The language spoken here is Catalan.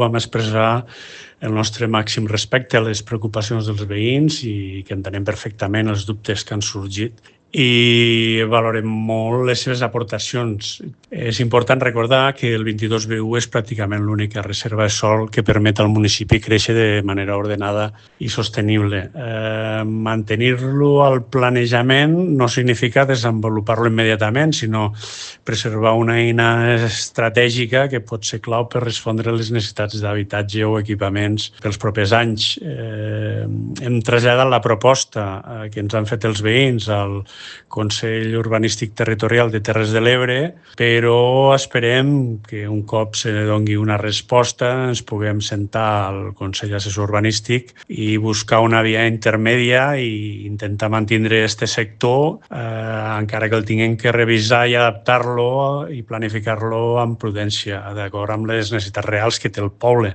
Vam expressar el nostre màxim respecte a les preocupacions dels veïns i que entenem perfectament els dubtes que han sorgit i valorem molt les seves aportacions. És important recordar que el 22BU és pràcticament l'única reserva de sòl que permet al municipi créixer de manera ordenada i sostenible. Mantenir-lo al planejament no significa desenvolupar-lo immediatament, sinó preservar una eina estratègica que pot ser clau per respondre a les necessitats d'habitatge o equipaments pels propers anys. Hem traslladat la proposta que ens han fet els veïns al Consell Urbanístic Territorial de Terres de l'Ebre, però esperem que un cop se doni una resposta ens puguem sentar al Consell Assessor Urbanístic i buscar una via intermèdia i intentar mantenir aquest sector, encara que el tinguem que revisar i adaptar-lo i planificar-lo amb prudència, d'acord amb les necessitats reals que té el poble.